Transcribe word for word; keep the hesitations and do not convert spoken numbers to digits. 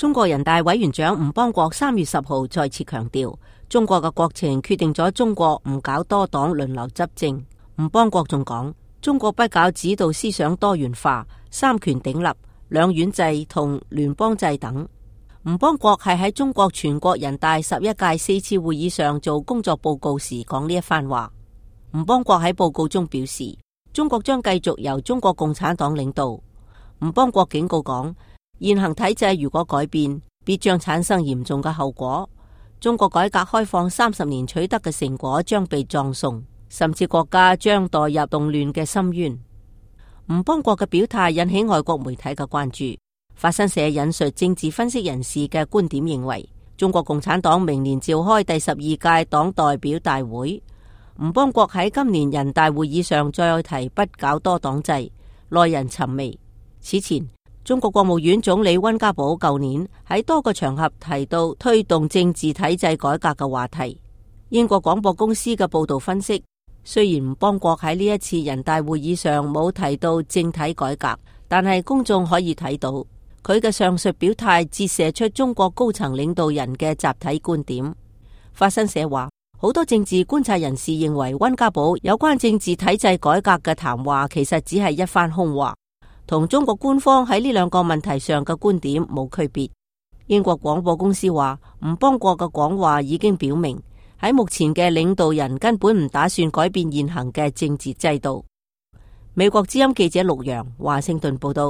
中國人大委員長吳邦國三月十號再次強調，中國嘅國情決定咗中國唔搞多黨輪流執政。吳邦國仲講，中國不搞指導思想多元化、三權鼎立、兩院制同聯邦制等。吳邦國係喺中國全國人大十一屆四次會議上做工作報告時講呢一番話。吳邦國喺報告中表示，中國將繼續由中國共產黨領導。吳邦國警告講，現行體制如果改變，必將產生嚴重嘅後果。中國改革開放三十年取得嘅成果將被葬送，甚至國家將墮入動亂嘅深淵。吳邦國嘅表態引起外國媒體嘅關注。法新社引述政治分析人士嘅觀點認為，中國共產黨明年召開第十二屆黨代表大會，吳邦國喺今年人大會議上再提不搞多黨制，耐人尋味。此前，中國國務院總理溫家寶舊年喺多個場合提到推動政治體制改革嘅話題。英國廣播公司嘅報道分析，雖然吳邦國喺呢一次人大會議上冇提到政體改革，但係公眾可以睇到，佢嘅上述表態折射出中國高層領導人嘅集體觀點。法新社話，好多政治觀察人士認為溫家寶有關政治體制改革嘅談話其實只係一番空話，同中國官方喺呢兩個問題上嘅觀點冇區別。英國廣播公司話，吳邦國嘅講話已經表明，喺目前嘅領導人根本唔打算改變現行嘅政治制度。美國之音記者陸洋華盛頓報道。